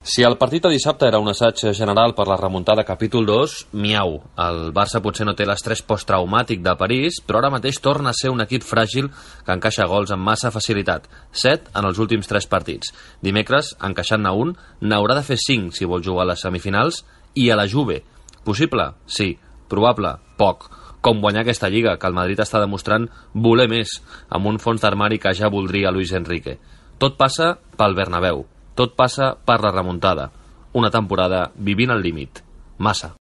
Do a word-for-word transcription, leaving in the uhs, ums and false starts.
Si el partit de dissabte era un assaig general per la remuntada capítol dos, miau. El Barça potser no té l'estrès posttraumàtic de París, però ara mateix torna a ser un equip fràgil que encaixa gols amb massa facilitat. Set en els últims tres partits. Dimecres, encaixant-ne un, n'haurà de fer cinc si vol jugar a les semifinals i a la Juve. Possible? Sí. Probable? Poc. Com guanyar aquesta lliga, que el Madrid està demostrant voler més, amb un fons d'armari que ja voldria Luis Enrique. Tot passa pel Bernabéu. Tot passa per la remuntada. Una temporada vivint al límit. Massa.